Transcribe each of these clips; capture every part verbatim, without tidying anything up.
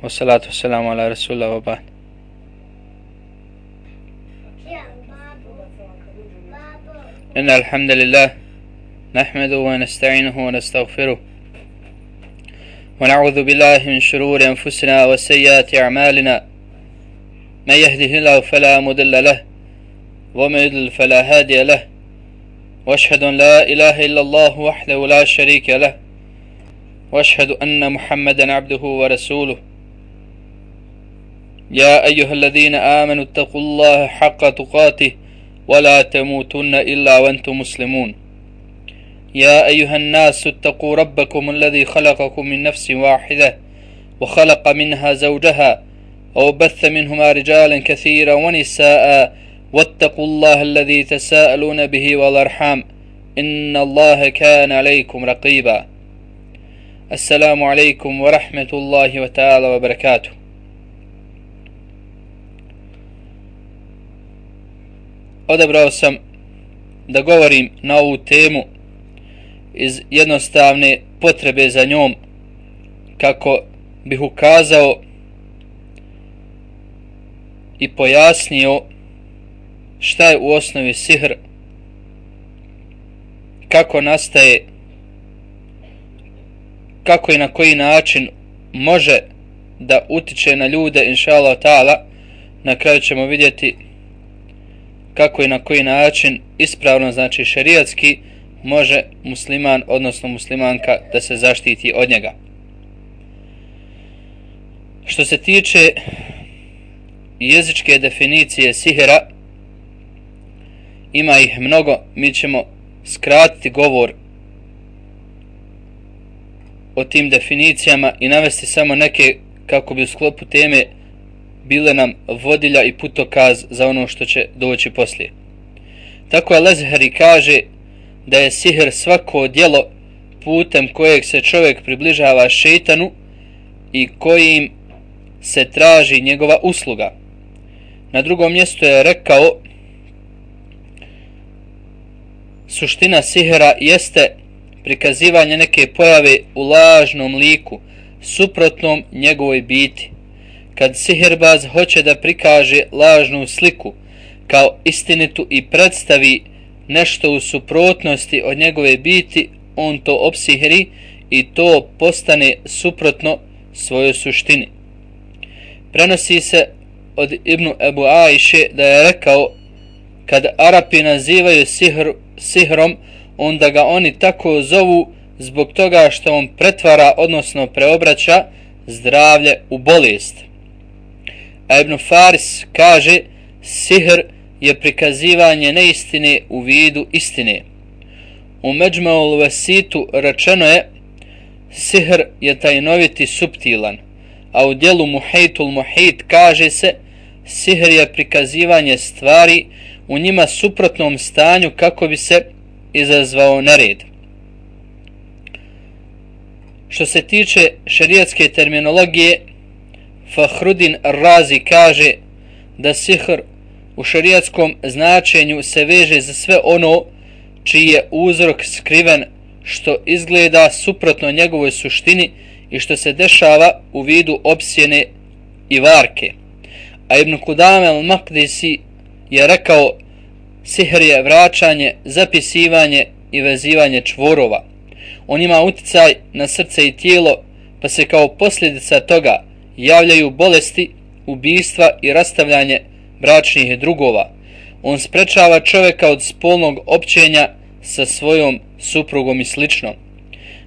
والصلاة والسلام على رسول الله وبعد. إن الحمد لله نحمده ونستعينه ونستغفره ونعوذ بالله من شرور أنفسنا وسيئات أعمالنا من يهده الله فلا مضل له ومن يضلل فلا هادي له وأشهد أن لا إله إلا الله وحده لا شريك له وأشهد أن محمدا عبده ورسوله. يا أيها الذين آمنوا اتقوا الله حق تقاته ولا تموتن إلا وأنتم مسلمون. يا أيها الناس اتقوا ربكم الذي خلقكم من نفس واحدة وخلق منها زوجها وبث منهما رجالا كثيرا ونساء واتقوا الله الذي تساءلون به والأرحام إن الله كان عليكم رقيبا. السلام عليكم ورحمة الله وتعالى وبركاته. Odabrao sam da govorim na ovu temu iz jednostavne potrebe za njom, kako bih ukazao i pojasnio šta je u osnovi sihr, kako nastaje, kako i na koji način može da utiče na ljude, inša Allah ta'ala. Na kraju ćemo vidjeti kako i na koji način ispravno, znači šerijatski, može musliman, odnosno muslimanka, da se zaštiti od njega. Što se tiče jezičke definicije sihira, ima ih mnogo, mi ćemo skratiti govor o tim definicijama i navesti samo neke kako bi u sklopu teme bile nam vodilja i putokaz za ono što će doći poslije. Tako Al-Azhari kaže da je sihr svako djelo putem kojeg se čovjek približava šejtanu i kojim se traži njegova usluga. Na drugom mjestu je rekao, suština sihra jeste prikazivanje neke pojave u lažnom liku, suprotnom njegovoj biti. Kad sihirbaz hoće da prikaže lažnu sliku kao istinitu i predstavi nešto u suprotnosti od njegove biti, on to opsihri i to postane suprotno svojoj suštini. Prenosi se od Ibnu Ebu Ajše da je rekao, kad Arapi nazivaju sihr, sihrom, onda ga oni tako zovu zbog toga što on pretvara, odnosno preobraća zdravlje u bolest. A Ibn Faris kaže, sihr je prikazivanje neistine u vidu istine. U Međmu'ul Vesitu rečeno je, sihr je tajnoviti suptilan, a u dijelu Muhejtul Muhejt kaže se, sihr je prikazivanje stvari u njima suprotnom stanju kako bi se izazvao nered. Što se tiče šerijatske terminologije, Fahrudin Razi kaže da sihr u šerijatskom značenju se veže za sve ono čiji je uzrok skriven, što izgleda suprotno njegovoj suštini i što se dešava u vidu opsjene i varke. A Ibn Kudame al-Maqdisi je rekao, sihr je vraćanje, zapisivanje i vezivanje čvorova. On ima uticaj na srce i tijelo, pa se kao posljedica toga javljaju bolesti, ubistva i rastavljanje bračnih drugova. On sprečava čovjeka od spolnog općenja sa svojom suprugom i slično.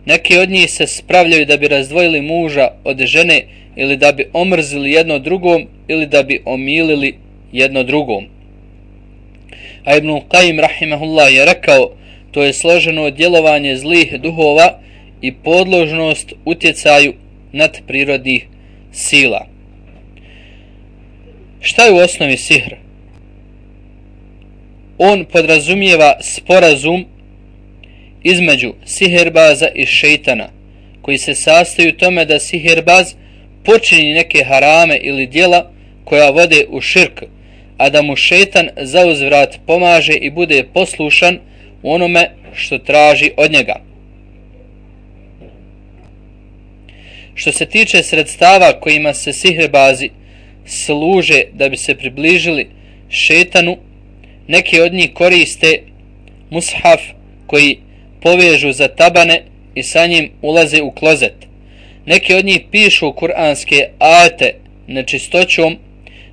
Neki od njih se spravljaju da bi razdvojili muža od žene ili da bi omrzili jedno drugom ili da bi omilili jedno drugom. A Ibn Qayyim rahimahullah je rekao, to je složeno djelovanje zlih duhova i podložnost utjecaju nadprirodnih sila. Šta je u osnovi sihr? On podrazumijeva sporazum između sihirbaza i šejtana, koji se sastoji u tome da sihirbaz počini neke harame ili djela koja vode u širk, a da mu šejtan zauzvrat pomaže i bude poslušan u onome što traži od njega. Što se tiče sredstava kojima se sihirbazi služe da bi se približili šetanu, neki od njih koriste mushaf koji povežu za tabane i sa njim ulaze u klozet. Neki od njih pišu kuranske ajete nečistoćom,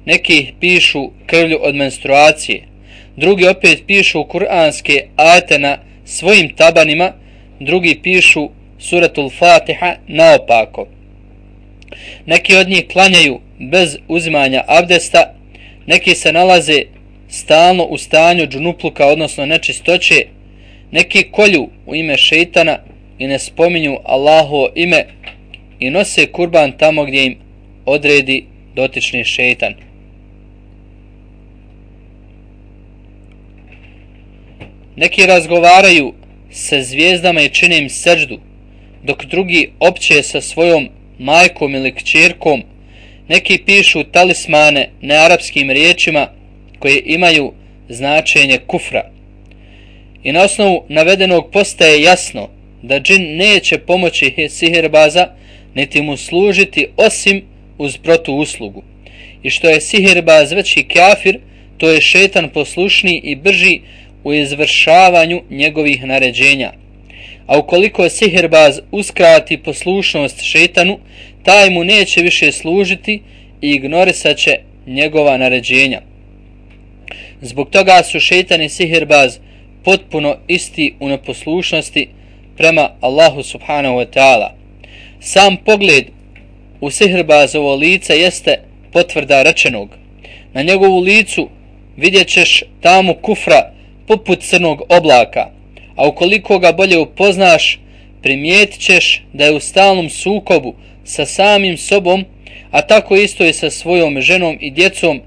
neki pišu krvlju od menstruacije, drugi opet pišu kuranske ajete na svojim tabanima, drugi pišu suratul Fatiha naopako. Neki od njih klanjaju bez uzimanja abdesta, neki se nalaze stalno u stanju džunupluka, odnosno nečistoće, neki kolju u ime šejtana i ne spominju Allahovo ime i nose kurban tamo gdje im odredi dotični šejtan. Neki razgovaraju sa zvijezdama i čine im seždu, dok drugi opće sa svojom majkom ili kćerkom. Neki pišu talismane nearapskim riječima koje imaju značenje kufra. I na osnovu navedenog postaje jasno da džin neće pomoći sihirbaza niti mu služiti osim uz protuuslugu. I što je sihirbaz veći kafir, to je šetan poslušniji i brži u izvršavanju njegovih naređenja. A ukoliko sihirbaz uskrati poslušnost šetanu, taj mu neće više služiti i ignorisat će njegova naređenja. Zbog toga su šetan i sihirbaz potpuno isti u neposlušnosti prema Allahu subhanahu wa ta'ala. Sam pogled u sihirbazovo lice jeste potvrda rečenog. Na njegovu licu vidjet ćeš tamu kufra poput crnog oblaka, a ukoliko ga bolje upoznaš, primijetit ćeš da je u stalnom sukobu sa samim sobom, a tako isto i sa svojom ženom i djecom,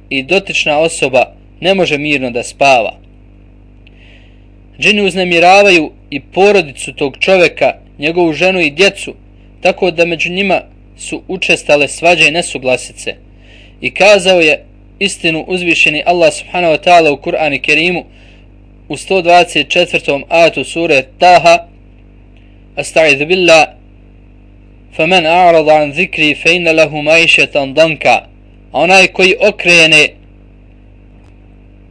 i dotična osoba ne može mirno da spava. Džini uznemiravaju i porodicu tog čovjeka, njegovu ženu i djecu, tako da među njima su učestale svađe i nesuglasice. I kazao je istinu uzvišeni Allah subhanahu wa ta'ala u Kur'anu Kerimu u sto dvadeset četvrtom ajatu sure Taha: Asta'idhu billah, faman a'rada an zikri fa inna lahu ma'ishatan danka. A onaj koji okrene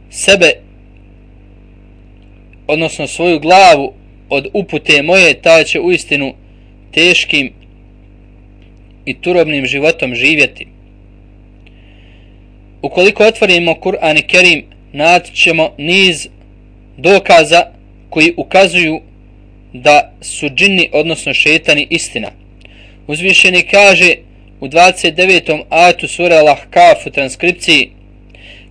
sebe, odnosno svoju glavu od upute moje, taj će uistinu teškim i turobnim životom živjeti. Ukoliko otvorimo Kur'an Kerim, naći ćemo niz dokaza koji ukazuju da su džinni, odnosno šetani, istina. Uzvišeni kaže u dvadeset devetom ajatu sure Al-Ahkaf u transkripciji: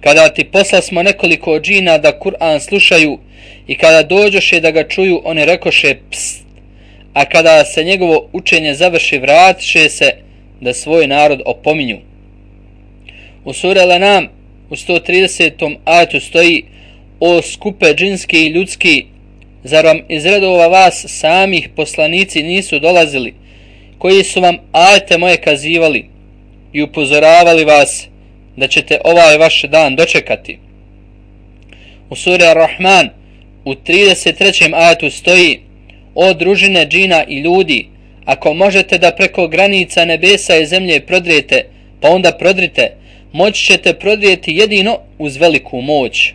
kada ti poslasmo nekoliko džina da Kur'an slušaju i kada dođoše da ga čuju, oni rekoše pst, a kada se njegovo učenje završi, vratiše se da svoj narod opominju. U suri Al-Anam u sto tridesetom ajatu stoji: o skupe džinski i ljudski, zar vam iz redova vas samih poslanici nisu dolazili, koji su vam ajete moje kazivali i upozoravali vas da ćete ovaj vaš dan dočekati. U suri Ar-Rahman u trideset trećem ajatu stoji: o družine džina i ljudi, ako možete da preko granica nebesa i zemlje prodrijete, pa onda prodrite, moći ćete prodrijeti jedino uz veliku moć.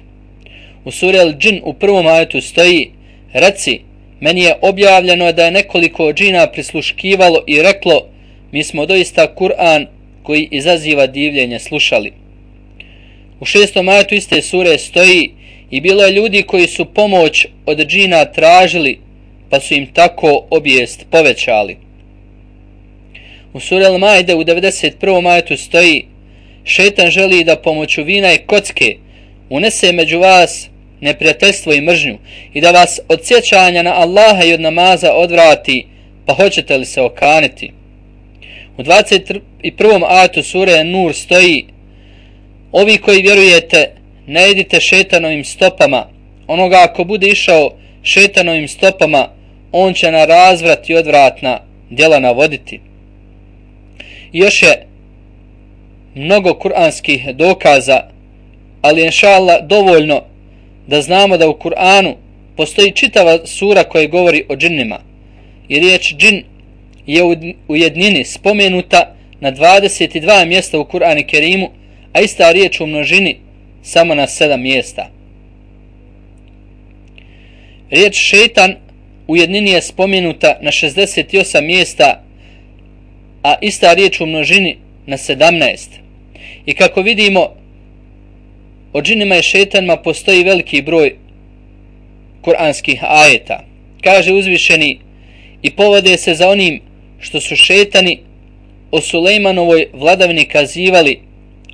U suri Al-Džin u prvom ajetu stoji: reci, meni je objavljeno da je nekoliko džina prisluškivalo i reklo, mi smo doista Kur'an koji izaziva divljenje slušali. U šestom ajetu iste sure stoji: i bilo je ljudi koji su pomoć od džina tražili, pa su im tako obijest povećali. U suri Al-Maide u devedeset prvom ajetu stoji: šetan želi da pomoću vina i kocke unese među vas neprijateljstvo i mržnju i da vas od sjećanja na Allaha i od namaza odvrati, pa hoćete li se okaniti. U dvadeset prvom ajetu sure Nur stoji: ovi koji vjerujete, ne idite šetanovim stopama, onoga ako bude išao šetanovim stopama, on će na razvrat i odvratna djela navoditi. I još je mnogo kuranskih dokaza, ali inšallah dovoljno da znamo da u Kur'anu postoji čitava sura koja govori o džinnima. I riječ džin je u jednini spomenuta na dvadeset dva mjesta u Kur'anu Kerimu, a ista riječ u množini samo na sedam mjesta. Riječ šejtan u jednini je spomenuta na šezdeset osam mjesta, a ista riječ u množini na sedamnaest. I kako vidimo, o džinima i šejtanima postoji veliki broj kuranskih ajeta. Kaže uzvišeni: i povode se za onim što su šejtani o Sulejmanovoj vladavini kazivali,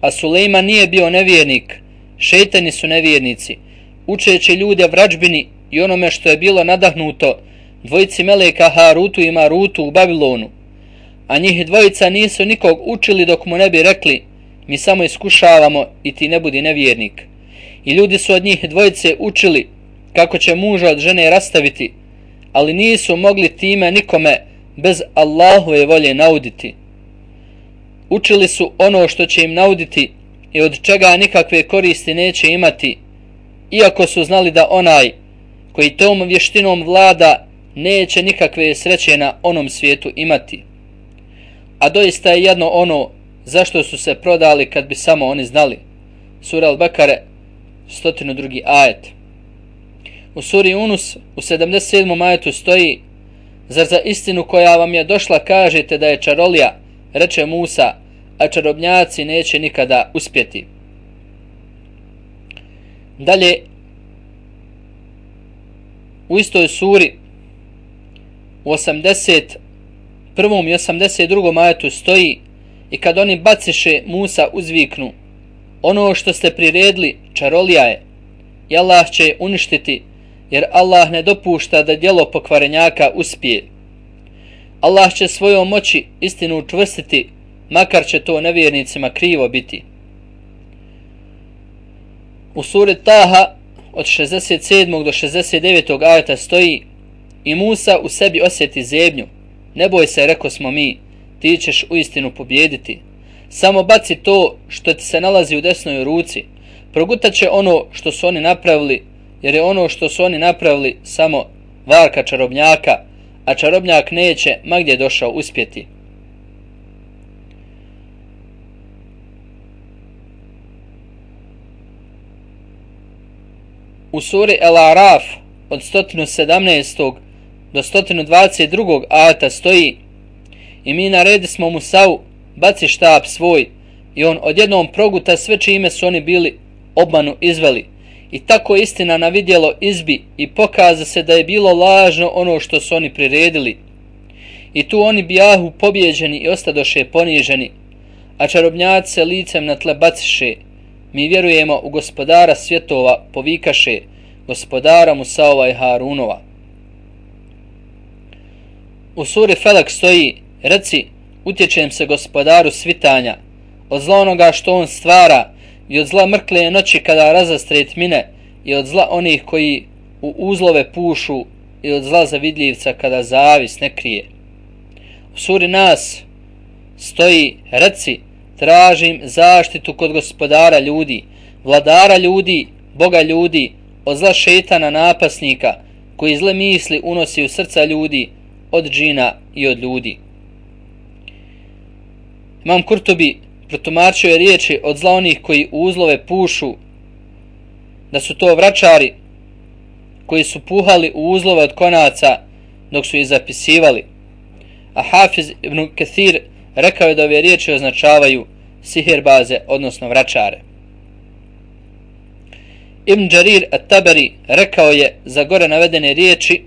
a Sulejman nije bio nevjernik, šejtani su nevjernici, učeći ljude vražbini i onome što je bilo nadahnuto dvojici meleka Harutu i Marutu u Babilonu. A njih dvojica nisu nikog učili dok mu ne bi rekli: mi samo iskušavamo i ti ne budi nevjernik. I ljudi su od njih dvojice učili kako će muža od žene rastaviti, ali nisu mogli time nikome bez Allahove volje nauditi. Učili su ono što će im nauditi i od čega nikakve koristi neće imati, iako su znali da onaj koji tom vještinom vlada neće nikakve sreće na onom svijetu imati. A doista je jedno ono zašto su se prodali kad bi samo oni znali. Sura Al-Bekare, sto drugi ajet. U suri Unus u sedamdeset sedmom ajetu stoji: zar za istinu koja vam je došla kažete da je čarolija, reče Musa, a čarobnjaci neće nikada uspjeti. Dalje, u istoj suri u osamdeset prvom i osamdeset drugom ajetu stoji: i kad oni baciše, Musa uzviknu: ono što ste priredili čarolija je, i Allah će je uništiti, jer Allah ne dopušta da djelo pokvarenjaka uspije. Allah će svojom moći istinu učvrstiti, makar će to nevjernicima krivo biti. U suri Taha od šezdeset sedmog do šezdeset devetog ajeta stoji: i Musa u sebi osjeti zebnju. Ne boj se, reko smo mi, ti ćeš uistinu pobjediti. Samo baci to što ti se nalazi u desnoj ruci. Progutat će ono što su oni napravili, jer je ono što su oni napravili samo varka čarobnjaka, a čarobnjak neće, ma gdje došao, uspjeti. U suri El-Araf od sto sedamnaestog do sto dvadeset drugog ajeta stoji: i mi naredismo Musau, baci štap svoj, i on odjednom proguta sve čime su oni bili obmanu izveli. I tako istina na vidjelo izbi i pokaza se da je bilo lažno ono što su oni priredili. I tu oni bijahu pobjeđeni i ostadoše poniženi, a čarobnjaci se licem na tle baciše. Mi vjerujemo u gospodara svjetova, povikaše, gospodara Musaova i Harunova. U suri Felak stoji: reci, utječem se gospodaru svitanja, od zla onoga što on stvara, i od zla mrkle noći kada razastre tmine, i od zla onih koji u uzlove pušu, i od zla zavidljivca kada zavis ne krije. U suri Nas stoji: reci, tražim zaštitu kod gospodara ljudi, vladara ljudi, Boga ljudi, od zla šejtana napasnika, koji zle misli unosi u srca ljudi, od džina i od ljudi. Imam Kurtubi protumačio je riječi od zla onih koji u uzlove pušu, da su to vračari koji su puhali u uzlove od konaca dok su ih zapisivali. A Hafiz ibn Kathir rekao je da ove riječi označavaju sihirbaze, odnosno vračare. Ibn Đarir at-Tabari rekao je za gore navedene riječi: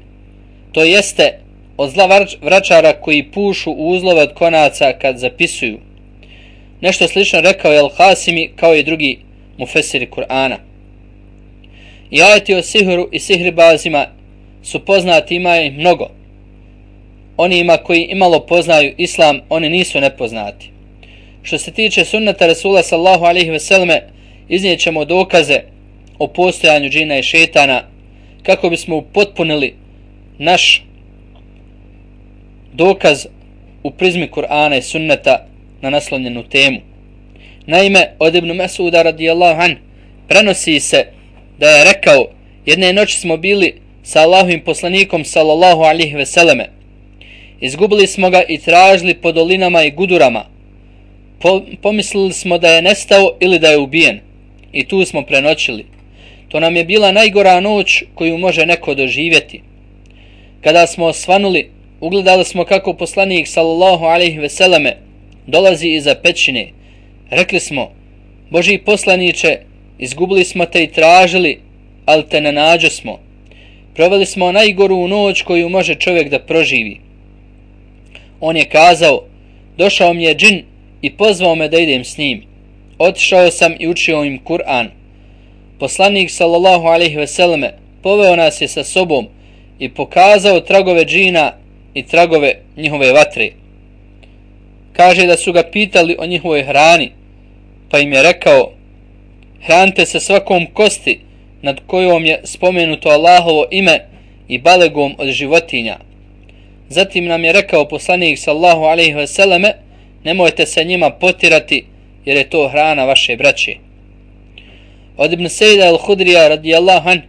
to jeste od zla vračara koji pušu u uzlove od konaca kad zapisuju. Nešto slično rekao je Al-Hasimi, kao i drugi mufesiri Kur'ana. I ajeti o sihru i sihribazima su poznati, ima ih mnogo. Onima koji imalo poznaju islam, oni nisu nepoznati. Što se tiče sunnata Rasula sallahu alaihi veseleme, iznijet ćemo dokaze o postojanju džina i šetana, kako bismo upotpunili naš dokaz u prizmi Kur'ana i sunneta na naslovljenu temu. Naime, od Ibn Mesuda radijallahu an prenosi se da je rekao: jedne noći smo bili sa Allahovim poslanikom sallallahu alaihi veseleme, Izgubili smo ga i tražili po dolinama i gudurama. Po, pomislili smo da je nestao ili da je ubijen. I tu smo prenoćili. To nam je bila najgora noć koju može neko doživjeti. Kada smo osvanuli, ugledali smo kako poslanik sallallahu alejhi ve selleme dolazi iza pećine. Rekli smo: Božji poslaniče, izgubili smo te i tražili, ali te ne nađo smo. Proveli smo najgoru noć koju može čovjek da proživi. On je kazao: došao mi je džin i pozvao me da idem s njim. Otišao sam i učio im Kur'an. Poslanik sallallahu alejhi ve selleme poveo nas je sa sobom i pokazao tragove džina i tragove njihove vatre. Kaže da su ga pitali o njihovoj hrani, pa im je rekao: hranite se svakom kosti nad kojom je spomenuto Allahovo ime i balegom od životinja. Zatim nam je rekao poslanik sallallahu alejhi ve selleme: nemojte se njima potirati, jer je to hrana vaše braće. Od Ibn Sejda al-Hudrija radijallahu an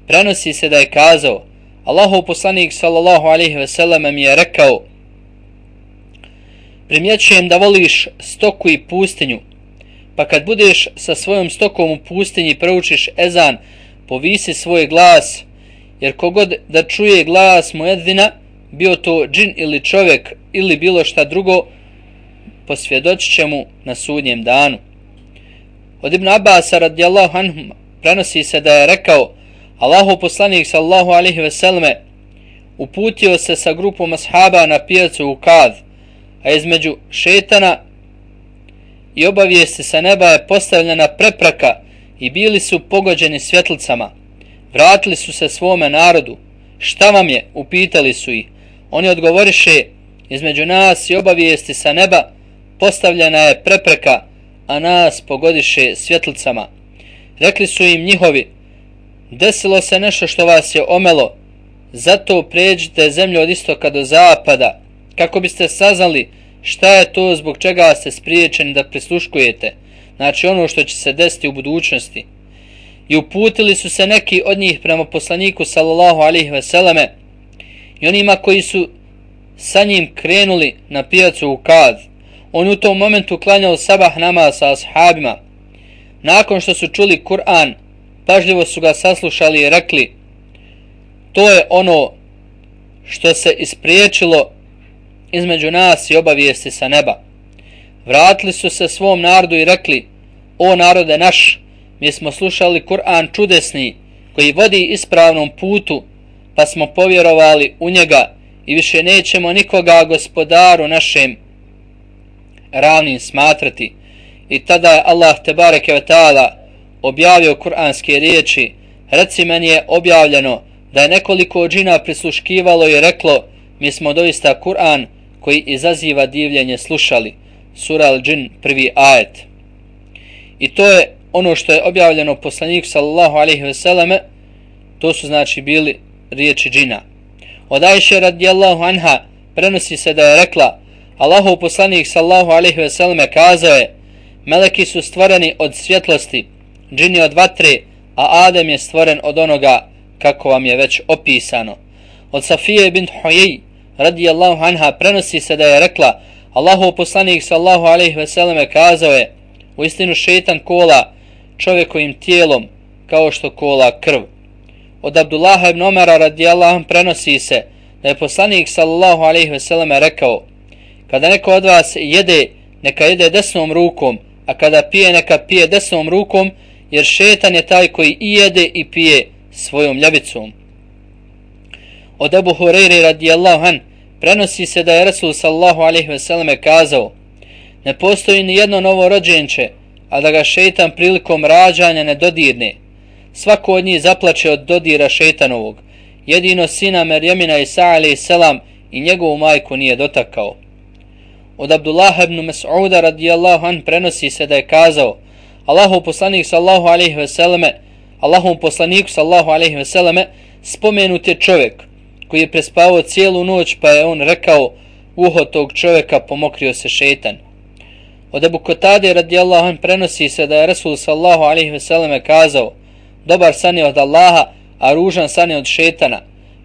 prenosi se da je kazao: Allahov poslanik sallallahu alejhi ve selleme mi je rekao: primjećujem da voliš stoku i pustinju, pa kad budeš sa svojom stokom u pustinji proučiš ezan, povisi svoj glas, jer kogod da čuje glas muedzina, bio to džin ili čovjek ili bilo šta drugo, posvjedočit će mu na sudnjem danu. Od Ibn Abasa radijallahu anhu prenosi se da je rekao: Allahov poslanik sallallahu alejhi ve selleme uputio se sa grupom ashaba na pijacu u Kad, a između šetana i obavijesti sa neba je postavljena prepreka i bili su pogođeni svjetlicama. Vratili su se svome narodu. Šta vam je? Upitali su ih. Oni odgovoriše: između nas i obavijesti sa neba postavljena je prepreka, a nas pogodiše svjetlicama. Rekli su im njihovi: desilo se nešto što vas je omelo, zato pređite zemlju od istoka do zapada, kako biste saznali šta je to zbog čega ste spriječeni da prisluškujete, znači ono što će se desiti u budućnosti. I uputili su se neki od njih prema poslaniku sallallahu alejhi ve selleme i onima koji su sa njim krenuli na pijacu u Kad. On u tom momentu klanjao sabah namaz sa ashabima. Nakon što su čuli Kur'an, pažljivo su ga saslušali i rekli: to je ono što se ispriječilo između nas i obavijesti sa neba. Vratili su se svom narodu i rekli: o narode naš, mi smo slušali Kur'an čudesni koji vodi ispravnom putu, pa smo povjerovali u njega i više nećemo nikoga gospodaru našem ravnim smatrati. I tada je Allah tebareke ve taala objavio kuranske riječi: reci, meni je objavljeno da je nekoliko džina prisluškivalo i reklo: mi smo doista Kur'an koji izaziva divljenje slušali. Sura Al-Džin, prvi ajet. I to je ono što je objavljeno poslaniku sallallahu alejhi ve selleme, to su znači bili riječi džina. Od Ajše radijallahu anha prenosi se da je rekla: Allahov poslanik sallallahu alejhi ve selleme kazao je: meleki su stvoreni od svjetlosti, džini od vatre, a Adem je stvoren od onoga kako vam je već opisano. Od Safije bint Huyej radijallahu anha prenosi se da je rekla: Allahov poslanik sallallahu alejhi ve selleme kazao je: uistinu šejtan kola čovjekovim tijelom kao što kola krv. Od Abdullaha ibn Omara radijallahu anhu prenosi se da je poslanik sallallahu alejhi ve selleme rekao: kada neko od vas jede, neka jede desnom rukom, a kada pije, neka pije desnom rukom, jer šetan je taj koji i jede i pije svojom ljubicom. Od Ebu Hureyre radijallahu an prenosi se da je Rasul sallallahu alejhi ve selleme kazao: ne postoji ni jedno novo rođenče, a da ga šetan prilikom rađanja ne dodirne. Svako od njih zaplače od dodira šetanovog. Jedino sina Merjemina Isa alejhi selam i njegovu majku nije dotakao. Od Abdullaha ibn Mas'uda radijallahu an prenosi se da je kazao: Allahov poslanik sallallahu alejhi ve selleme, Allahovom poslaniku sallallahu alejhi ve selleme spomenut je čovjek koji je prespavao cijelu noć, pa je on rekao: uho tog čovjeka pomokrio se šetan. Od Ebu Kotade radijallahu an prenosi se da je Rasul sallallahu alejhi ve selleme kazao: dobar san je od Allaha, a ružan san je od šetana.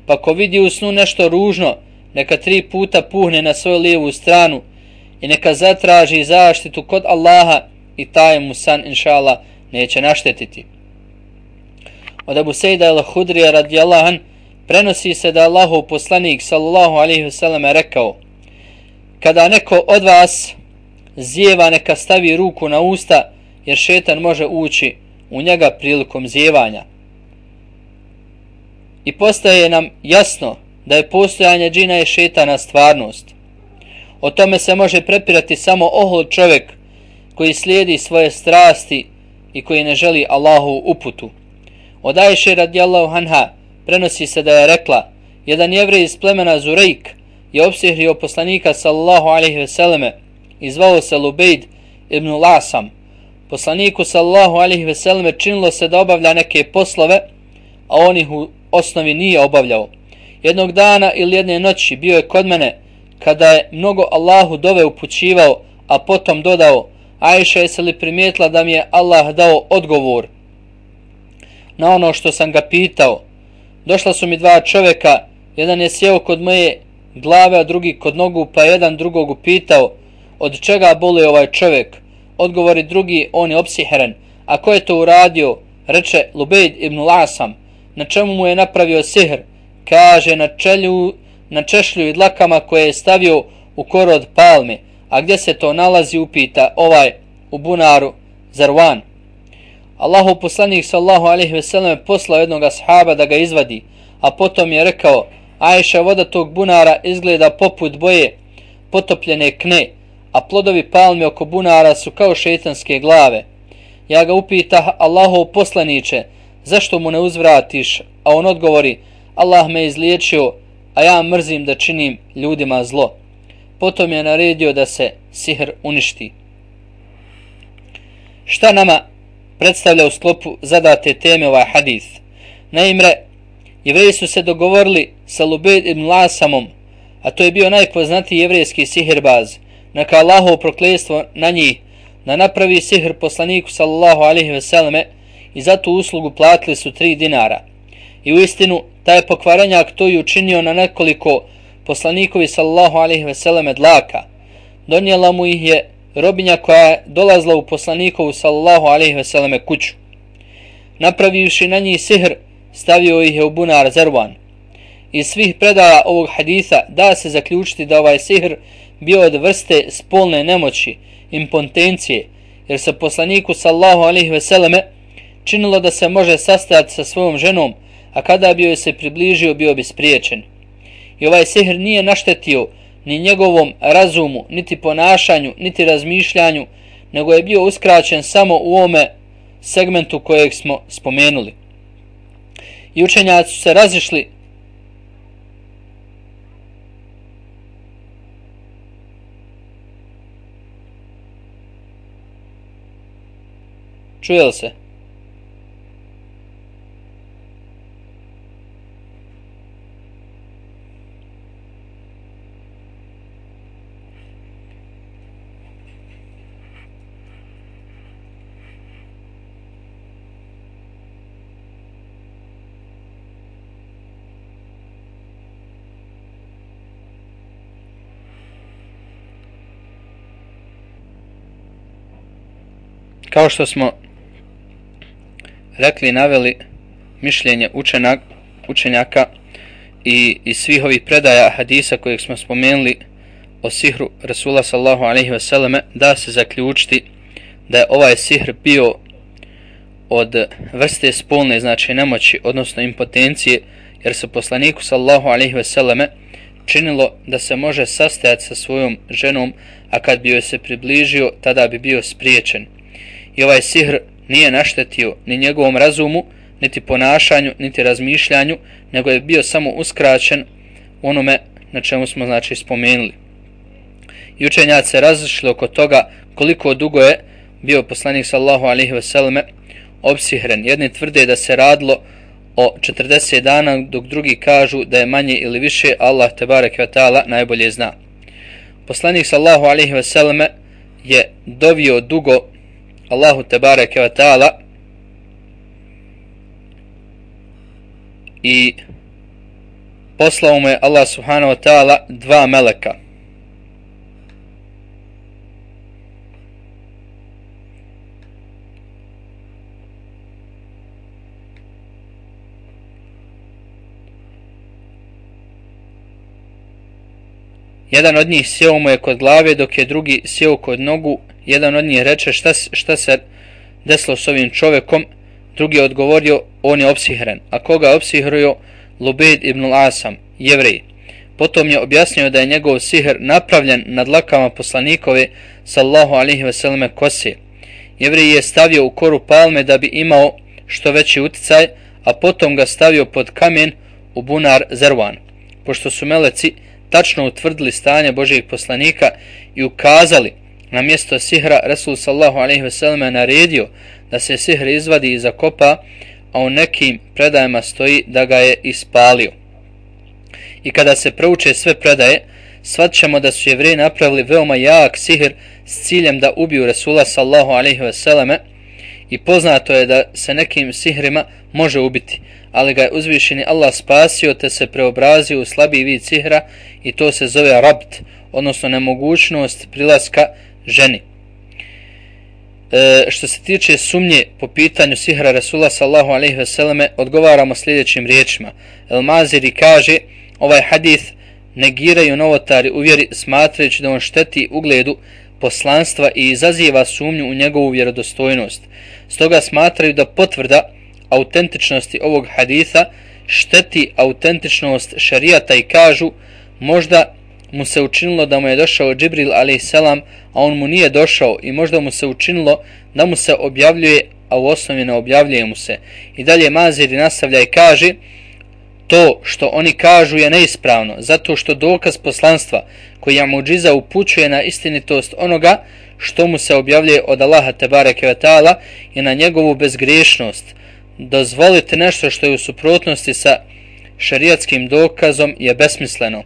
Pa ko vidi u snu nešto ružno, neka tri puta puhne na svoju lijevu stranu i neka zatraži zaštitu kod Allaha i taj mu san inša neće naštetiti. Od Abu Sejda al-Hudrija radijallahu an prenosi se da Allahov poslanik sallallahu alejhi ve sellem rekao: kada neko od vas zijeva, neka stavi ruku na usta, jer šetan može ući u njega prilikom zijevanja. I postaje nam jasno da je postojanje džina i šetana stvarnost. O tome se može prepirati samo ohol čovjek koji slijedi svoje strasti i koji ne želi Allahovu uputu. Od Ajše radijallahu anha prenosi se da je rekla: jedan jevrej iz plemena Zurejk je opsihrio poslanika sallallahu alejhi ve selleme i zvao se Lubejd ibn Lasam. Poslaniku sallallahu alejhi ve selleme činilo se da obavlja neke poslove, a on ih u osnovi nije obavljao. Jednog dana ili jedne noći bio je kod mene kada je mnogo Allahu dove upućivao, a potom dodao: Ajša, jesi li primijetila da mi je Allah dao odgovor na ono što sam ga pitao? Došla su mi dva čovjeka, jedan je sjeo kod moje glave, a drugi kod nogu, pa jedan drugog upitao: od čega boluje ovaj čovjek? Odgovori drugi: on je opsihren. A ko je to uradio? Reče: Lubejd ibn Lasam. Na čemu mu je napravio sihr? Kaže: na čelju, na češlju i dlakama koje je stavio u koru od palme. A gdje se to nalazi? Upita ovaj: u bunaru Zarwan. Allahov poslanik sallallahu alejhi ve sellem poslao jednog ashaba da ga izvadi, a potom je rekao: Ajša, voda tog bunara izgleda poput boje potopljene kne, a plodovi palme oko bunara su kao šejtanske glave. Ja ga upitah: Allahov poslaniče, zašto mu ne uzvratiš? A on odgovori: Allah me izliječio, a ja mrzim da činim ljudima zlo. Potom je naredio da se sihr uništi. Šta nama predstavlja u sklopu zadate teme ovaj hadis? Naime, jevreji su se dogovorili sa Lubejd ibn Lasamom, a to je bio najpoznatiji jevrejski sihirbaz, neka Allahovo prokletstvo na njih, da napravi sihr poslaniku sallallahu alejhi ve selleme, i za tu uslugu platili su tri dinara. I u istinu, taj pokvarenjak to je učinio na nekoliko poslanikovi sallallahu alejhi ve selleme dlaka. Donijela mu ih je robinja koja je dolazila u poslanikovu sallallahu alejhi ve selleme kuću. Napravivši na njih sihr, stavio ih je u bunar Zarwan. Iz svih predaja ovog hadisa da se zaključiti da ovaj sihr bio od vrste spolne nemoći, impotencije, jer se poslaniku sallallahu alejhi ve selleme činilo da se može sastajati sa svojom ženom, a kada bi joj se približio bio bi spriječen. I ovaj sihr nije naštetio ni njegovom razumu, niti ponašanju, niti razmišljanju, nego je bio uskraćen samo u ovome segmentu kojeg smo spomenuli. I učenjaci su se razišli čuje li se? Kao što smo rekli, naveli mišljenje učenak, učenjaka i iz svih ovih predaja hadisa kojeg smo spomenuli o sihru Rasula sallallahu alejhi ve selleme, da se zaključiti da je ovaj sihr bio od vrste spolne, znači nemoći, odnosno impotencije, jer se poslaniku sallallahu alejhi ve selleme činilo da se može sastajati sa svojom ženom, a kad bi joj se približio, tada bi bio spriječen. I ovaj sihr nije naštetio ni njegovom razumu, niti ponašanju, niti razmišljanju, nego je bio samo uskraćen onome na čemu smo znači spomenuli. I učenjaci se razišli oko toga koliko dugo je bio poslanik sallallahu alejhi ve selleme opsihren. Jedni tvrde da se radilo o četrdeset dana, dok drugi kažu da je manje ili više, Allah tebareke ve taala najbolje zna. Poslanik sallallahu alejhi ve selleme je dovio dugo Allahu tebareke ve taala i poslao mu je Allah subhanahu wa ta'ala dva meleka. Jedan od njih sjeo mu je kod glave, dok je drugi sjeo kod nogu. Jedan od njih reče, šta, šta se desilo s ovim čovjekom? Drugi je odgovorio, on je opsihren. A koga je opsihrio? Lubejd ibn al-Asam, Jevrej. Potom je objasnio da je njegov sihr napravljen nad dlakama poslanikove sallallahu alejhi ve selleme kose. Jevrej je stavio u koru palme da bi imao što veći uticaj, a potom ga stavio pod kamen u bunar Zervan. Pošto su meleci tačno utvrdili stanje Božijeg poslanika i ukazali na mjesto sihra, Resul sallallahu alejhi ve selleme naredio da se sihr izvadi i zakopa, a u nekim predajama stoji da ga je ispalio. I kada se prouče sve predaje, shvatćemo da su Jevreji napravili veoma jak sihr s ciljem da ubiju Resula sallallahu alejhi ve selleme, i poznato je da se nekim sihrima može ubiti, ali ga je uzvišeni Allah spasio te se preobrazio u slabiji vid sihra, i to se zove rabt, odnosno nemogućnost prilaska ženi. E, što se tiče sumnje po pitanju sihra Resula sallallahu alejhi ve selleme, odgovaramo sljedećim riječima. El Maziri kaže, ovaj hadith negiraju novotari u vjeri, smatrajući da on šteti ugledu poslanstva i izaziva sumnju u njegovu vjerodostojnost. Stoga smatraju da potvrda autentičnosti ovog haditha šteti autentičnost šerijata i kažu, možda mu se učinilo da mu je došao Džibril alejselam, a on mu nije došao, i možda mu se učinilo da mu se objavljuje, a u osnovi ne objavljuje mu se. I dalje Maziri nastavlja i kaže, to što oni kažu je neispravno, zato što dokaz poslanstva koji je muđiza upućuje na istinitost onoga što mu se objavljuje od Allaha tebareke ve taala i na njegovu bezgriješnost. Dozvolite nešto što je u suprotnosti sa šerijatskim dokazom je besmisleno.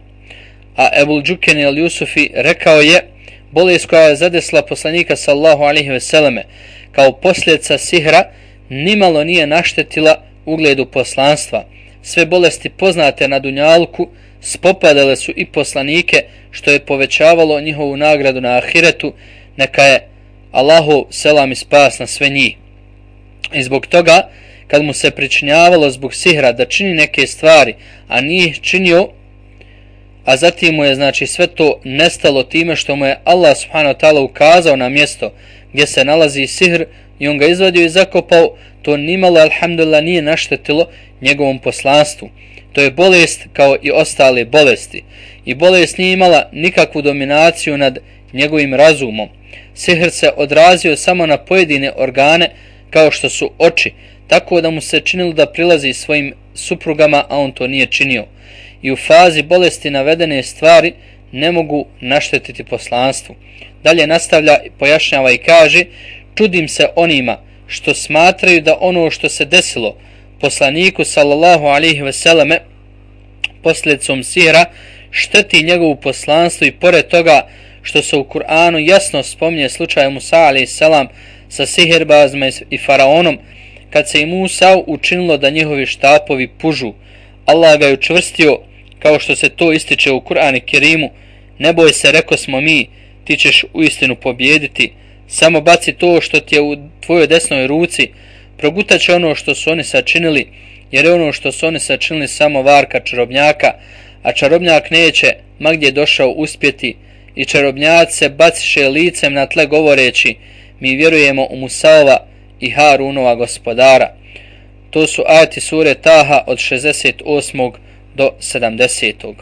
A Ebul Džuken el-Jusufi rekao je, bolest koja je zadesla poslanika sallallahu alejhi ve selleme kao posljedica sihra nimalo nije naštetila ugledu poslanstva. Sve bolesti poznate na dunjalku spopadale su i poslanike, što je povećavalo njihovu nagradu na ahiretu. Neka je Allahov selam i spas na sve njih. I zbog toga, kad mu se pričinjavalo zbog sihra da čini neke stvari, a nije činio, a zatim mu je znači sve to nestalo time što mu je Allah subhanahu wa ta'ala ukazao na mjesto gdje se nalazi sihr i on ga izvadio i zakopao, to nimalo, alhamdulillah, nije naštetilo njegovom poslanstvu. To je bolest kao i ostale bolesti. I bolest nije imala nikakvu dominaciju nad njegovim razumom. Sihr se odrazio samo na pojedine organe kao što su oči, tako da mu se činilo da prilazi svojim suprugama, a on to nije činio. I u fazi bolesti navedene stvari ne mogu naštetiti poslanstvu. Dalje nastavlja, pojašnjava i kaže, čudim se onima što smatraju da ono što se desilo poslaniku sallallahu alejhi ve selleme posljedicom sihra šteti njegovu poslanstvu, i pored toga što se u Kur'anu jasno spominje slučaj Musa alejselam sa sihirbazima i faraonom, kad se i Musa učinilo da njihovi štapovi pužu. Allah ga je učvrstio, kao što se to ističe u Kur'anu Kerimu, ne boj se, reko smo mi, ti ćeš uistinu pobjediti, samo baci to što ti je u tvojoj desnoj ruci, progutat će ono što su oni sačinili, jer je ono što su oni sačinili samo varka čarobnjaka, a čarobnjak neće ma gdje došao uspjeti. I čarobnjaci se baciše licem na tle govoreći, mi vjerujemo u Musaova i Harunova gospodara. To su ajeti sure Taha od šezdeset osmog do sedamdesetog.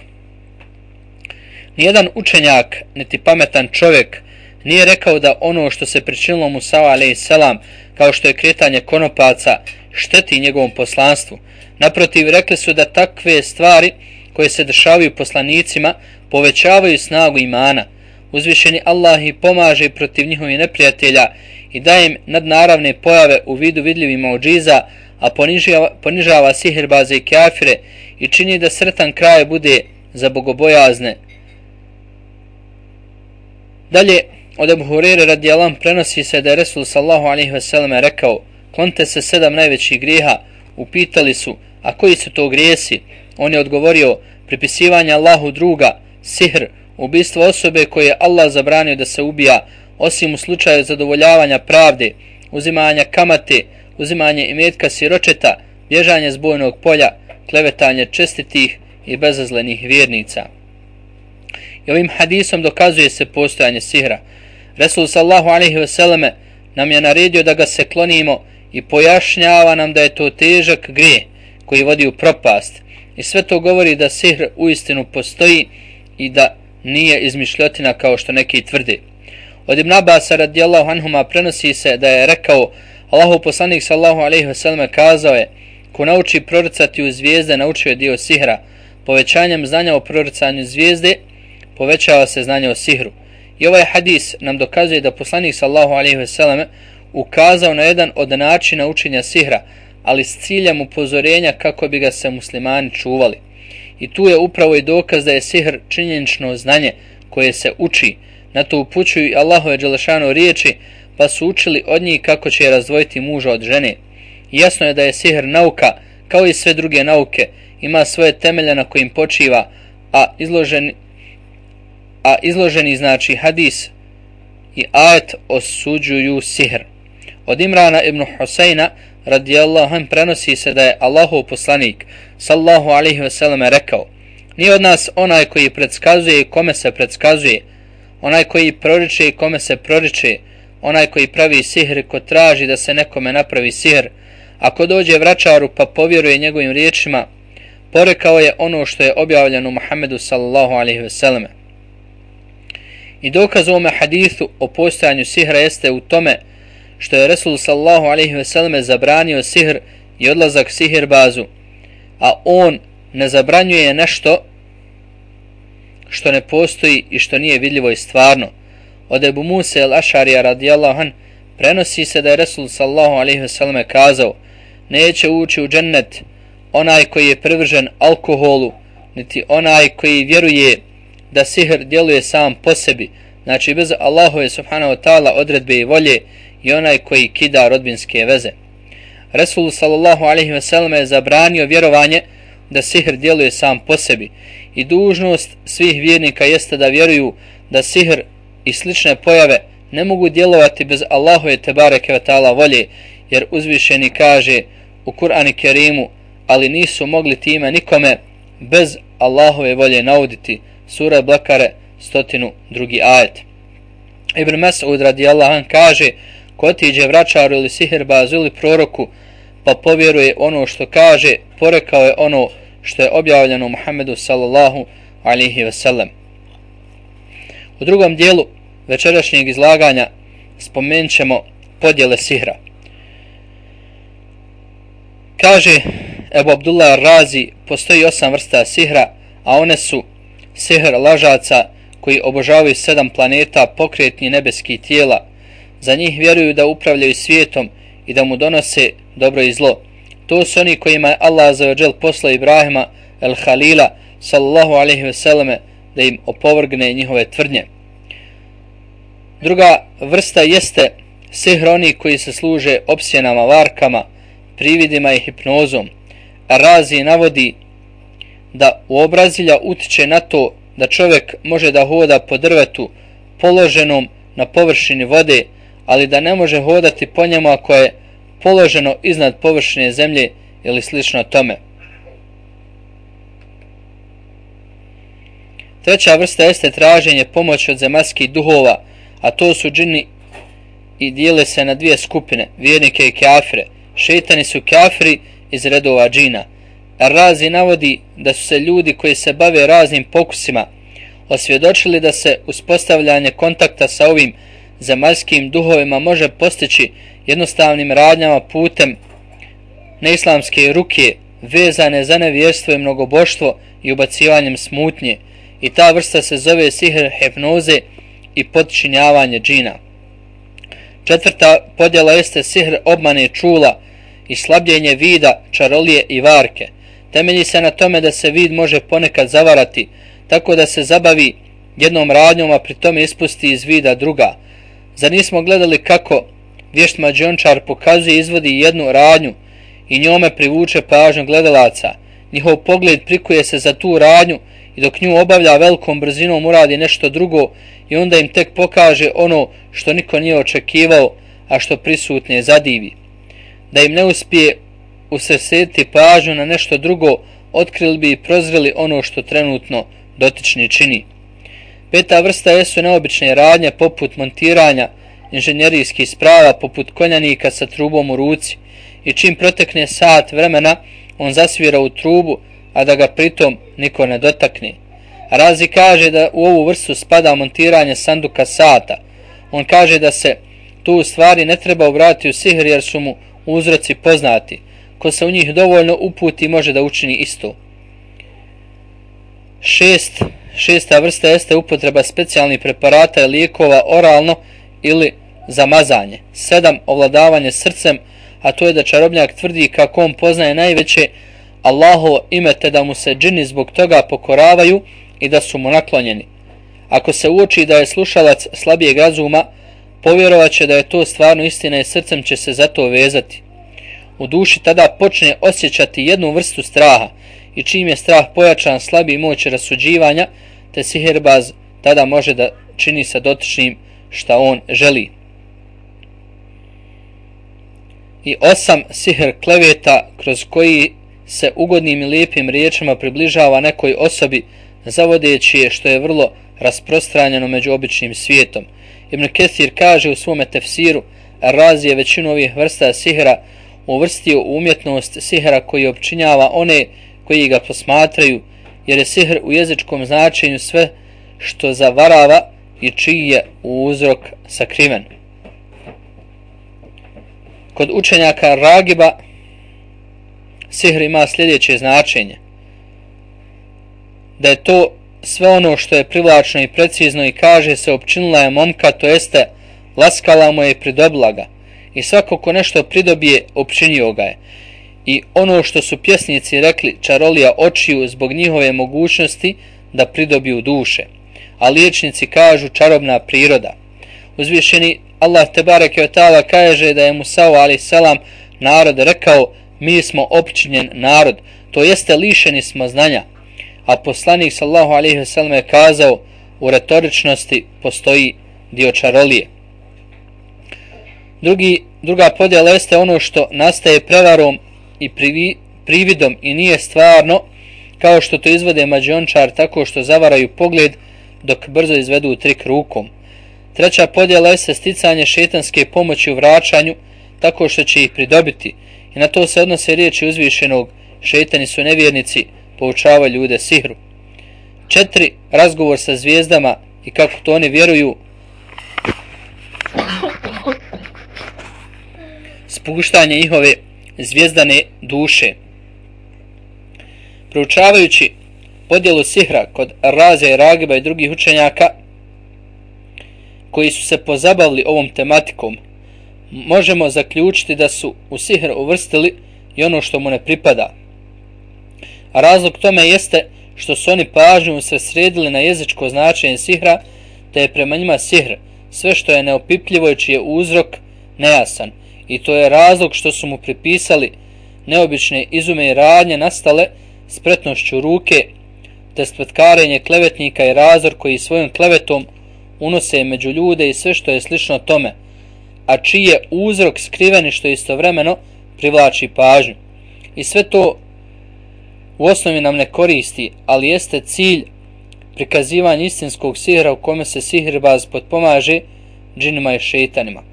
Nijedan učenjak, niti pametan čovjek nije rekao da ono što se pričinilo Musa alejselam, kao što je kretanje konopaca, šteti njegovom poslanstvu. Naprotiv, rekli su da takve stvari koje se dešavaju poslanicima povećavaju snagu imana. Uzvišeni Allah ih pomaže protiv njihovih neprijatelja i daje im nadnaravne pojave u vidu vidljivih muđiza, a ponižava, ponižava sihirbaze i kafire i čini da sretan kraj bude za bogobojazne. Dalje, od Ebu Hurere radijallahu anhu prenosi se da je Resul sallallahu alejhi ve selleme rekao, klonite se sedam najvećih grijeha. Upitali su, a koji su to grijesi? On je odgovorio, pripisivanje Allahu druga, sihr, ubistvo osobe koje je Allah zabranio da se ubija, osim u slučaju zadovoljavanja pravde, uzimanja kamate, uzimanje imetka siročeta, bježanje s bojnog polja, klevetanje čestitih i bezazlenih vjernica. I ovim hadisom dokazuje se postojanje sihra. Resul sallallahu alejhi ve selleme nam je naredio da ga se klonimo i pojašnjava nam da je to težak grijeh koji vodi u propast. I sve to govori da sihr uistinu postoji i da nije izmišljotina kao što neki tvrde. Od Ibn Abasa radijallahu anhuma prenosi se da je rekao: Allahu poslanik sallallahu alejhi ve selleme kazao je: ko nauči proricati u zvijezde, naučio je dio sihra. Povećanjem znanja o proricanju zvijezde povećava se znanje o sihru. I ovaj hadis nam dokazuje da poslanik sallallahu alejhi ve selleme ukazao na jedan od načina učenja sihra, ali s ciljem upozorenja kako bi ga se muslimani čuvali. I tu je upravo i dokaz da je sihr činjenično znanje koje se uči. Na to upućuju i Allahove dželešanu riječi, pa su učili od njih kako će razdvojiti muža od žene. I jasno je da je sihr nauka, kao i sve druge nauke, ima svoje temelje na kojim počiva, a izloženi, a izloženi znači hadis i ajet osuđuju sihr. Od Imrana ibn Husajna radijallahu anhu prenosi se da je Allahov poslanik sallallahu alejhi ve selleme rekao: nije od nas onaj koji predskazuje i kome se predskazuje, onaj koji proriče i kome se proriče, onaj koji pravi sihr i ko traži da se nekome napravi sihr. Ako dođe vračaru pa povjeruje njegovim riječima, porekao je ono što je objavljeno Muhammedu sallallahu alejhi ve selleme. I dokaz ovome hadithu o postojanju sihra jeste u tome što je Resul sallallahu alejhi ve selleme zabranio sihr i odlazak sihirbazu, a on ne zabranjuje nešto što ne postoji i što nije vidljivo i stvarno. Od Ebu Musa el-Ašarija radijallahu an prenosi se da je Resul sallallahu alejhi ve selleme kazao: neće ući u džennet onaj koji je privržen alkoholu, niti onaj koji vjeruje da sihr djeluje sam po sebi, znači bez Allahove subhanahu wa ta'ala odredbe i volje, i onaj koji kida rodbinske veze. Resul sallallahu alejhi ve selleme je zabranio vjerovanje da sihr djeluje sam po sebi i dužnost svih vjernika jeste da vjeruju da sihr i slične pojave ne mogu djelovati bez Allahove tebareke ve ta'ala volje, jer uzvišeni kaže u Kur'anu Kerimu: ali nisu mogli time nikome bez Allahove volje nauditi. Sura Bakare stotinu drugi ajet. Ibn Mas'ud radijallahu an kaže: ko otiđe vračaru ili sihirbazu ili proroku pa povjeruje ono što kaže, porekao je ono što je objavljeno Muhammedu sallallahu alejhi ve sellem. U drugom dijelu večerašnjeg izlaganja spomenut ćemo podjele sihra. Kaže Ebu Abdullah Razi: postoji osam vrsta sihra, a one su sihr lažaca koji obožavaju sedam planeta, pokretni nebeskih tijela. Za njih vjeruju da upravljaju svijetom i da mu donose dobro i zlo. To su oni kojima je Allah azza wa džel poslao Ibrahima el-Halila sallallahu alejhi ve selleme da im opovrgne njihove tvrdnje. Druga vrsta jeste sihr oni koji se služe opsjenama, varkama, prividima i hipnozom. Razi navodi da u obrazilja utiče na to da čovjek može da hoda po drvetu položenom na površini vode, ali da ne može hodati po njemu ako je položeno iznad površine zemlje ili slično tome. Treća vrsta jeste traženje pomoći od zemaljskih duhova, a to su džini i dijele se na dvije skupine, vjernike i kafire. Šejtani su kafiri iz redova džina. Razi navodi da su se ljudi koji se bave raznim pokusima osvjedočili da se uspostavljanje kontakta sa ovim zemaljskim duhovima može postići jednostavnim radnjama putem neislamske ruke vezane za nevjerstvo i mnogoboštvo i ubacivanjem smutnje, i ta vrsta se zove sihr hipnoze i podčinjavanje džina. Četvrta podjela jeste sihr obmane čula i slabljenje vida, čarolije i varke. Temelji se na tome da se vid može ponekad zavarati, tako da se zabavi jednom radnjom, a pri tome ispusti iz vida druga. Zar nismo gledali kako vješt mađiončar pokazuje i izvodi jednu radnju i njome privuče pažnju gledalaca, njihov pogled prikuje se za tu radnju i dok nju obavlja velikom brzinom uradi nešto drugo i onda im tek pokaže ono što niko nije očekivao, a što prisutne zadivi. Da im ne uspije usredsrediti pažnju na nešto drugo, otkrili bi i prozreli ono što trenutno dotični čini. Peta vrsta jesu neobične radnje poput montiranja inženjerijskih sprava, poput konjanika sa trubom u ruci i čim protekne sat vremena on zasvira u trubu, a da ga pritom niko ne dotakne. Razi kaže da u ovu vrstu spada montiranje sanduka sata. On kaže da se tu u stvari ne treba obratiti u sihr jer su mu uzroci poznati. Ko se u njih dovoljno uputi može da učini isto. Šest, šesta vrsta jeste upotreba specijalnih preparata i lijekova oralno ili za mazanje. Sedam, ovladavanje srcem, a to je da čarobnjak tvrdi kako on poznaje najveće Allahovo ime te da mu se džini zbog toga pokoravaju i da su mu naklonjeni. Ako se uoči da je slušalac slabijeg razuma, povjerovat će da je to stvarno istina i srcem će se za to vezati. U duši tada počne osjećati jednu vrstu straha i čim je strah pojačan slabi moć rasuđivanja, te sihirbaz tada može da čini sa dotičnim šta on želi. I osam, sihr kleveta kroz koji se ugodnim i lijepim riječima približava nekoj osobi zavodeći je, što je vrlo rasprostranjeno među običnim svijetom. Ibn Kathir kaže u svome tefsiru, Razi je većinu ovih vrsta sihra uvrstio u umjetnost sihra koji opčinjava one koji ga posmatraju, jer je sihr u jezičkom značenju sve što zavarava i čiji je uzrok sakriven. Kod učenjaka Ragiba sihr ima sljedeće značenje: da je to sve ono što je privlačno i precizno i kaže se opčinila je momka, to jeste laskala mu je i pridobila ga. I svako ko nešto pridobije, opčinio ga je. I ono što su pjesnici rekli, čarolija očiju zbog njihove mogućnosti da pridobiju duše. A liječnici kažu čarobna priroda. Uzvišeni Allah tebareke ve taala kaže da je Musa alejhi selam narod rekao: mi smo opčinjen narod, to jeste lišeni smo znanja. A poslanik sallallahu alejhi ve sellem je kazao: u retoričnosti postoji dio čarolije. Drugi, druga podjela jeste ono što nastaje prevarom i privi, prividom i nije stvarno, kao što to izvode mađiončar tako što zavaraju pogled dok brzo izvedu trik rukom. Treća podjela jeste sticanje šetanske pomoći u vraćanju tako što će ih pridobiti i na to se odnose riječi uzvišenog: šetani su nevjernici, poučavaju ljude sihru. Četiri, razgovor sa zvijezdama i kako to oni vjeruju, spuštanje njihove zvijezdane duše. Proučavajući podjelu sihra kod Razija i Ragiba i drugih učenjaka koji su se pozabavili ovom tematikom, možemo zaključiti da su u sihr uvrstili i ono što mu ne pripada. A razlog tome jeste što su oni pažnju usredsredili na jezičko značenje sihra, te je prema njima sihr sve što je neopipljivo i čiji je uzrok nejasan. I to je razlog što su mu pripisali neobične izume i radnje nastale spretnošću ruke, te spletkarenje klevetnika i razor koji svojom klevetom unose među ljude i sve što je slično tome, a čiji je uzrok skriveni što istovremeno privlači pažnju. I sve to u osnovi nam ne koristi, ali jeste cilj prikazivanja istinskog sihra u kome se sihirbaz potpomaže džinima i šeitanima.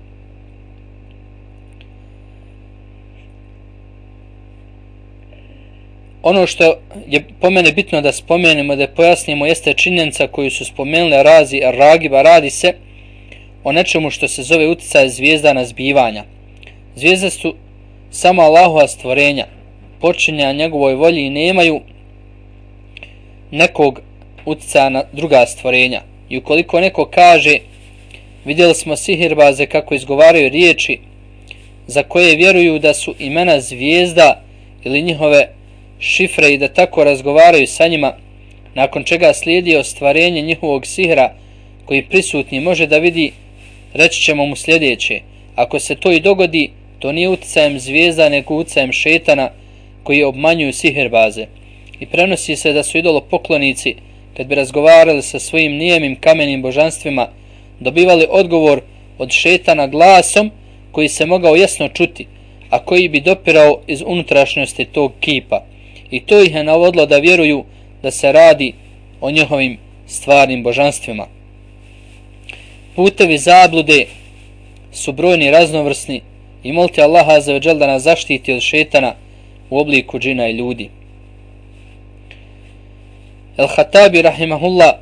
Ono što je po mene bitno da spomenemo, da pojasnimo, jeste činjenica koju su spomenuli Razi i Ragiba. Radi se o nečemu što se zove uticaj zvijezda na zbivanja. Zvijezde su samo Allahova stvorenja, počinja njegovoj volji i nemaju nekog uticaja na druga stvorenja. I ukoliko neko kaže: vidjeli smo sihirbaze kako izgovaraju riječi za koje vjeruju da su imena zvijezda ili njihove šifre i da tako razgovaraju sa njima, nakon čega slijedi ostvarenje njihovog sihra koji prisutni može da vidi, reći ćemo mu sljedeće: ako se to i dogodi, to nije uticajem zvijezda nego uticajem šetana koji obmanjuju sihirbaze. i prenosi se da su idolopoklonici, kad bi razgovarali sa svojim nijemim kamenim božanstvima, dobivali odgovor od šetana glasom koji se mogao jasno čuti, a koji bi dopirao iz unutrašnjosti tog kipa. I to ih je navodilo da vjeruju da se radi o njihovim stvarnim božanstvima. Putevi zablude su brojni, raznovrsni i molite Allaha azza wa džel da nas zaštiti od šetana u obliku džina i ljudi. El-Hatabi rahimahullah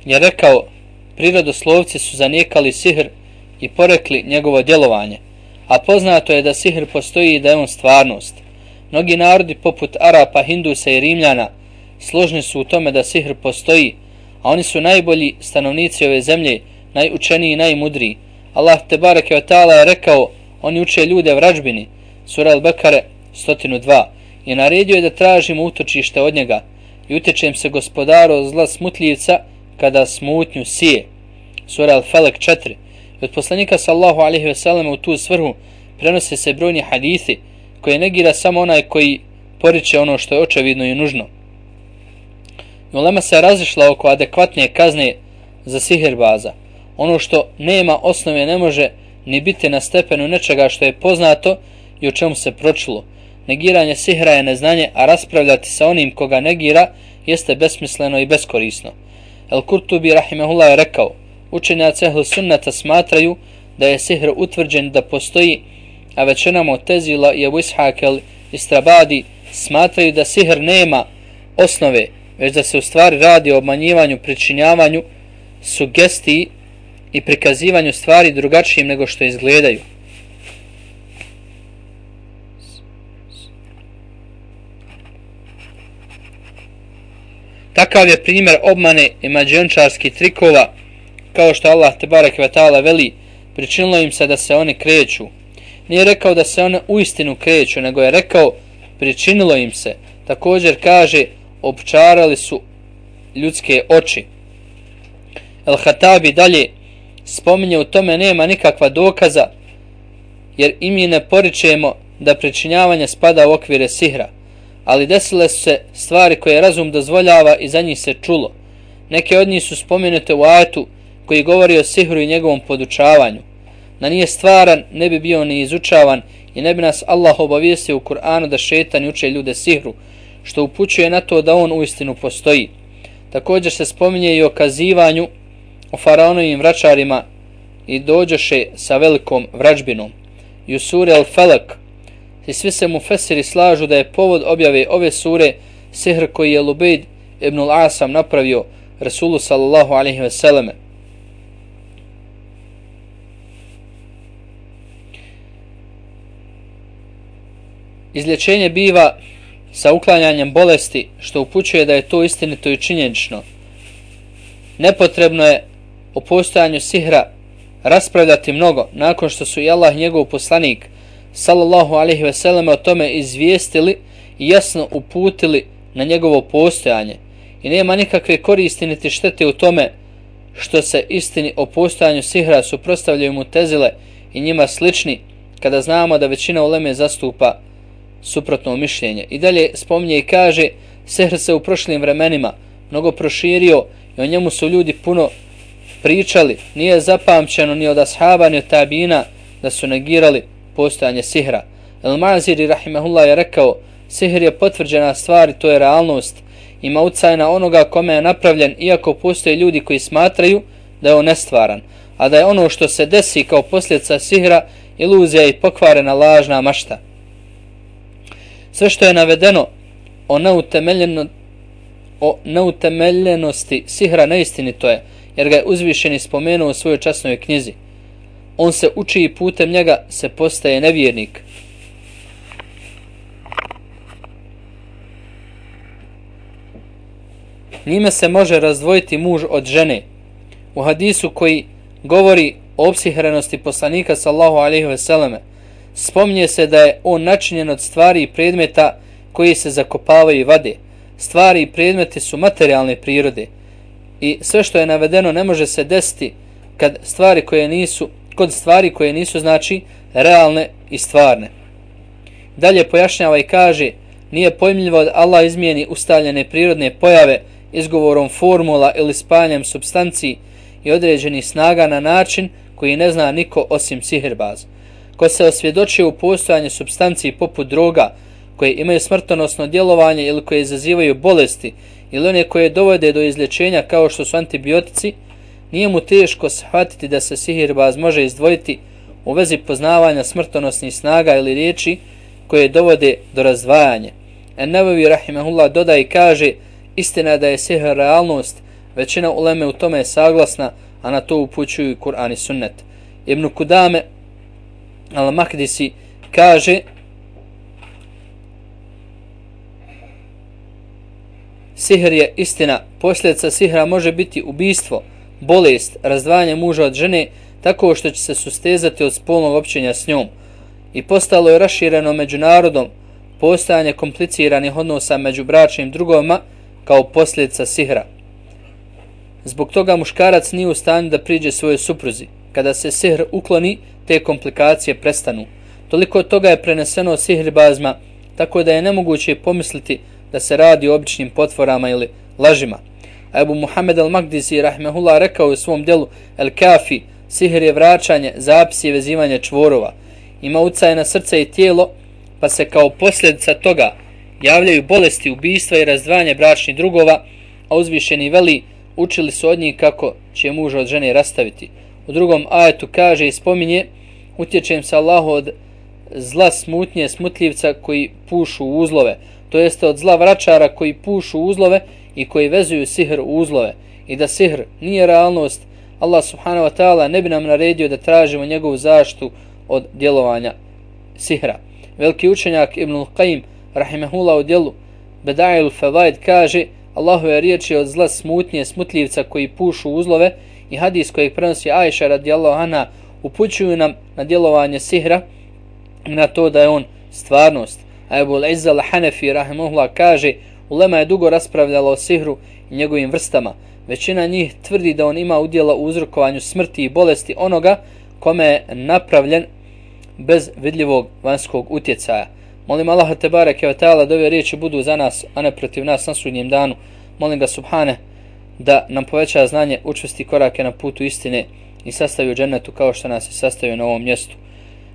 je rekao, prirodoslovci su zanijekali sihr i porekli njegovo djelovanje, a poznato je da sihr postoji i da je on stvarnost. Mnogi narodi poput Arapa, Hindusa i Rimljana složni su u tome da sihr postoji, a oni su najbolji stanovnici ove zemlje, najučeniji i najmudriji. Allah tebareke ve taala je rekao, oni uče ljude vražbini, sura Al-Bekare sto dva, i naredio je da tražimo utočište od njega i utječem se gospodaru od zla smutljivca kada smutnju sije, sura Al-Falak četiri. Od poslanika sallahu alejhi ve sellem u tu svrhu prenose se brojni hadithi koje negira samo onaj koji poriče ono što je očevidno i nužno. Ulema se razišla oko adekvatne kazne za sihirbaza. Ono što nema osnove ne može ni biti na stepenu nečega što je poznato i o čemu se pročulo. Negiranje sihra je neznanje, a raspravljati sa onim koga negira jeste besmisleno i beskorisno. El-Kurtubi rahimehullah je rekao, učenjaci ehlu sunnata smatraju da je sihr utvrđen da postoji, a većina Mu'tezila i Ebu Ishaq el-Istrabadi smatraju da sihr nema osnove, već da se u stvari radi o obmanjivanju, pričinjavanju, sugestiji i prikazivanju stvari drugačijim nego što izgledaju. Takav je primjer obmane i mađiončarskih trikova, kao što Allah tebareke ve taala veli, pričinilo im se da se oni kreću. Nije rekao da se one uistinu kreću, nego je rekao pričinilo im se. Također kaže, opčarali su ljudske oči. El-Hatabi dalje spominje, u tome nema nikakva dokaza, jer i mi ne poričemo da pričinjavanje spada u okvire sihra, ali desile su se stvari koje razum dozvoljava i za njih se čulo. Neke od njih su spomenute u ajetu koji govori o sihru i njegovom podučavanju. Da nije stvaran, ne bi bio ni izučavan i ne bi nas Allah obavijestio u Kur'anu da šetani uče ljude sihru, što upućuje na to da on uistinu postoji. Također se spominje i o kazivanju o faraonovim vračarima i dođoše sa velikom vražbinom. I u suri Al-Falak i svi se mufesiri slažu da je povod objave ove sure sihr koji je Lubejd ibn al-Asam napravio Rasulu sallallahu alejhi ve selleme. Izlječenje biva sa uklanjanjem bolesti, što upućuje da je to istinito i činjenično. Nepotrebno je o postojanju sihra raspravljati mnogo, nakon što su i Allah njegov poslanik sallallahu alejhi ve selleme o tome izvijestili i jasno uputili na njegovo postojanje. I nema nikakve koristi niti štete u tome što se istini o postojanju sihra suprotstavljaju Mu'tezile i njima slični, kada znamo da većina uleme zastupa suprotno mišljenje. I dalje spominje i kaže, sihr se u prošlim vremenima mnogo proširio i o njemu su ljudi puno pričali. Nije zapamćeno ni od ashaba ni od tabina da su negirali postojanje sihra. El-Maziri rahimahullah je rekao, sihr je potvrđena stvar i to je realnost. Ima ucaj na onoga kome je napravljen, iako postoje ljudi koji smatraju da je on nestvaran, a da je ono što se desi kao posljedica sihra iluzija i pokvarena lažna mašta. Sve što je navedeno o, neutemeljeno, o neutemeljenosti sihra neistinito je, jer ga je uzvišeni spomenuo u svojoj časnoj knjizi. On se uči i putem njega se postaje nevjernik. Njime se može razdvojiti muž od žene. U hadisu koji govori o opsihrenosti poslanika sallahu alejhi ve selleme spominje se da je on načinjen od stvari i predmeta koji se zakopavaju i vade. Stvari i predmeti su materijalne prirode i sve što je navedeno ne može se desiti kad stvari koje nisu, kod stvari koje nisu znači realne i stvarne. Dalje pojašnjava i kaže, Nije pojmljivo da Allah izmijeni ustaljene prirodne pojave izgovorom formula ili spajanjem supstanciji i određenih snaga na način koji ne zna niko osim sihirbaz. Ko se osvjedoči u postojanje supstanciji poput droga koje imaju smrtonosno djelovanje ili koje izazivaju bolesti ili one koje dovode do izlječenja kao što su antibiotici, nije mu teško shvatiti da se sihirbaz može izdvojiti u vezi poznavanja smrtonosnih snaga ili riječi koje dovode do razdvajanja. En-Nevevi rahimehullah dodaje i kaže: istina da je sihr realnost, većina uleme u tome je saglasna, a na to upućuju Kur'an i sunnet. Ibn Kudame al-Makdisi kaže: sihr je istina, posljedica sihra može biti ubistvo, bolest, razdvajanje muža od žene tako što će se sustezati od spolnog općenja s njom. I postalo je rašireno među narodom postojanje kompliciranih odnosa među bračnim drugovima kao posljedica sihra. Zbog toga muškarac nije u stanju da priđe svojoj supruzi. Kada se sihr ukloni, te komplikacije prestanu. Toliko toga je preneseno sihrbazma, tako da je nemoguće pomisliti da se radi o običnim potvorama ili lažima. A Ebu Muhammed al-Makdisi rahmehullah rekao u svom djelu El Kafi: sihr je vraćanje, zapis i vezivanje čvorova. Ima utjecaj na srce i tijelo, pa se kao posljedica toga javljaju bolesti, ubistva i razdvajanje bračnih drugova, a uzvišeni veli učili su od njih kako će muža od žene rastaviti. U drugom ajetu kaže i spominje: utječem se Allahu od zla smutnje smutljivca koji pušu u uzlove, to jeste od zla vračara koji pušu u uzlove i koji vezuju sihr u uzlove, i da sihr nije realnost, Allah subhanahu wa ta'ala ne bi nam naredio da tražimo njegovu zaštitu od djelovanja sihra. Veliki učenjak Ibnul Qayyim rahimehullah u djelu Beda'il Fawaid kaže: Allahove riječi od zla smutnje smutljivca koji pušu uzlove i hadis kojeg prenosi Ajša radijallahu anha upućuju nam na djelovanje sihra i na to da je on stvarnost. A Ebu Izza al-Hanefi rahimehullah kaže: ulema je dugo raspravljala o sihru i njegovim vrstama. Većina njih tvrdi da on ima udjela u uzrokovanju smrti i bolesti onoga kome je napravljen bez vidljivog vanjskog utjecaja. Molim Allaha tebareke ve taala da ove riječi budu za nas, a ne protiv nas na sudnjem danu. Molim ga subhane da nam poveća znanje, učvrsti korake na putu istine i sastavi u džennetu kao što nas je sastavio na ovom mjestu.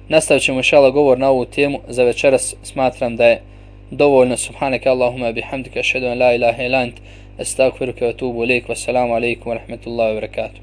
Nastavit ćemo inshallah govor na ovu temu. Za večeras smatram da je dovoljno. Subhaneke Allahumma bihamdika, ašhadu an la ilaha illa ant, estagfiruke wa tubu ilejk. Wassalamu alaikum wa rahmatullahi wa barakatuh.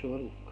Чуварлук.